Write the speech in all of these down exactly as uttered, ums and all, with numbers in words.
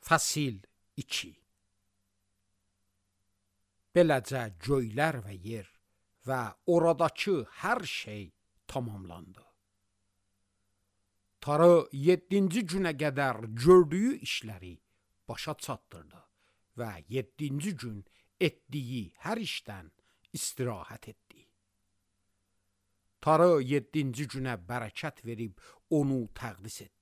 Fəsil iki. Beləcə göylər və yer və oradakı hər şey tamamlandı. Tanrı yeddinci günə qədər gördüyü işləri başa çatdırdı və yeddinci gün etdiyi hər işdən istirahət etdi. Tanrı yeddinci günə bərəkət verib onu təqdis etdi.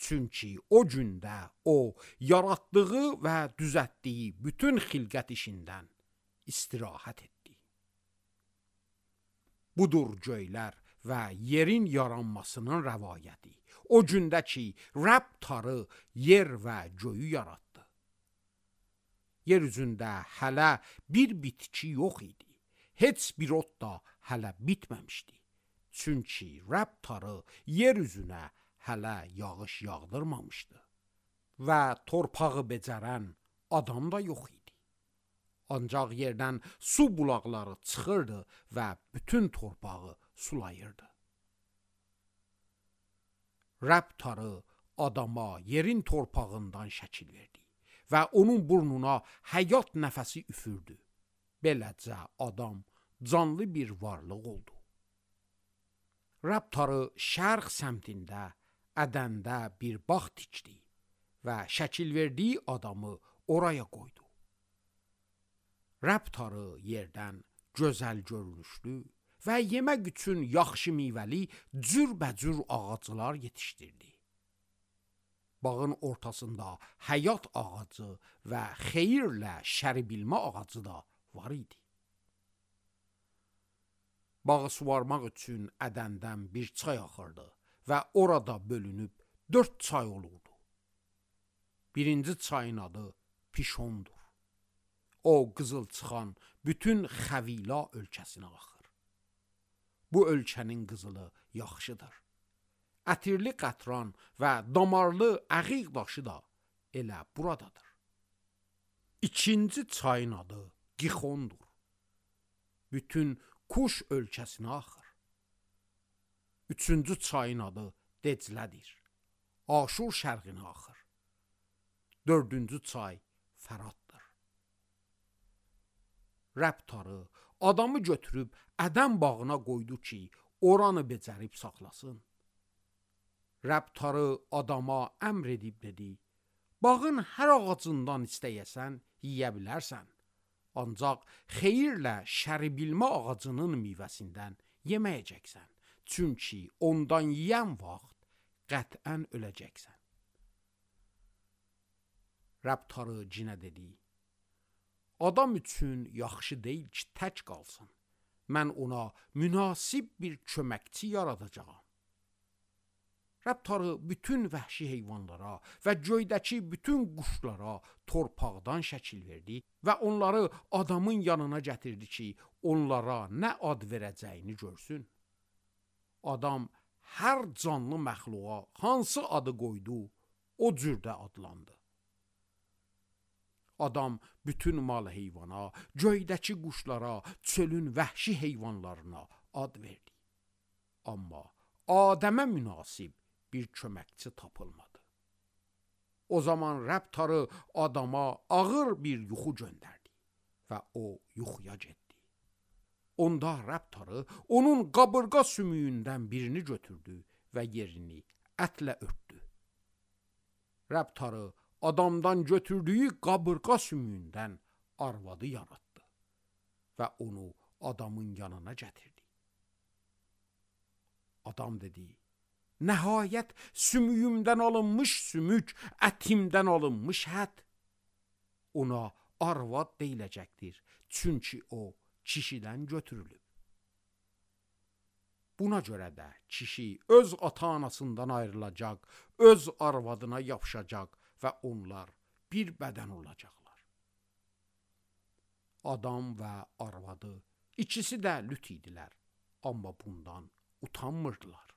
Çünki o gündə o, yaratdığı və düzəltdiyi bütün xilqət işindən istirahət etdi. Budur göylər və yerin yaranmasının rəvayəti. O gündə ki, Rəbb Tanrı yer və göyü yaratdı. Yer üzündə hələ bir bitki yox idi. Heç bir ot da hələ bitməmişdi. Çünki Rəbb Tanrı yer üzünə hələ yağış yağdırmamışdı və torpağı becərən adam da yox idi. Ancaq yerdən su bulaqları çıxırdı və bütün torpağı sulayırdı. Rəbb Tanrı adama yerin torpağından şəkil verdi və onun burnuna həyat nəfəsi üfürdü. Beləcə adam canlı bir varlıq oldu. Rəbb Tanrı şərq səmtində Ədəndə bir bağ tikdi və şəkil verdiyi adamı oraya qoydu. Rəbb Tanrı yerdən gözəl görünüşlü və yemək üçün yaxşı meyvəli cürbəcür ağaclar yetişdirdi. Bağın ortasında həyat ağacı və xeyirlə şəri bilmə ağacı da var idi. Bağı suvarmaq üçün Ədəndən bir çay axırdı və orada bölünüb dörd çay olurdu. Birinci çayın adı Pişondur. O qızıl çıxan bütün Xəvila ölkəsinə axır. Bu ölkənin qızılı yaxşıdır. Ətirli qətran və damarlı əqiq daşı da elə buradadır. İkinci çayın adı Gixondur. Bütün Kuş ölkəsinə axır. Üçüncü çayın adı Declədir. Aşur şərqinə axır. Dördüncü çay Fəraddır. Rəbb Tanrı adamı götürüb Ədəm bağına qoydu ki, oranı becərib saxlasın. Rəbb Tanrı adama əmr edib dedi, bağın hər ağacından istəyəsən, yiyə bilərsən. Ancaq xeyirlə şəri bilmə ağacının meyvəsindən yeməyəcəksən. Çünki ondan yeyən vaxt qətən öləcəksən. Rəbb Tanrı cinə dedi, adam üçün yaxşı deyil ki, tək qalsın. Mən ona münasib bir köməkçi yaradacağam. Rəbb Tanrı bütün vəhşi heyvanlara və göydəki bütün quşlara torpaqdan şəkil verdi və onları adamın yanına gətirdi ki, onlara nə ad verəcəyini görsün. Adam hər canlı məxluğa hansı adı qoydu, o cürdə adlandı. Adam bütün mal heyvana, göydəki quşlara, çölün vəhşi heyvanlarına ad verdi. Amma Adəmə münasib bir köməkçi tapılmadı. O zaman Rəbb Tanrı adama ağır bir yuxu göndərdi və o yuxuya getdi. Onda Rəbb Tanrı onun qabırğa sümüyündən birini götürdü və yerini ətlə örtdü. Rəbb Tanrı adamdan götürdüyü qabırğa sümüyündən arvadı yaratdı və onu adamın yanına gətirdi. Adam dedi, nəhayət sümüyümdən alınmış sümük, ətimdən alınmış ət. Ona arvad deyiləcəkdir, çünki o kişidən götürülüb. Buna görə də kişi öz ata-anasından ayrılacaq, öz arvadına yapışacaq və onlar bir bədən olacaqlar. Adam və arvadı ikisi də lüt idilər, amma bundan utanmırdılar.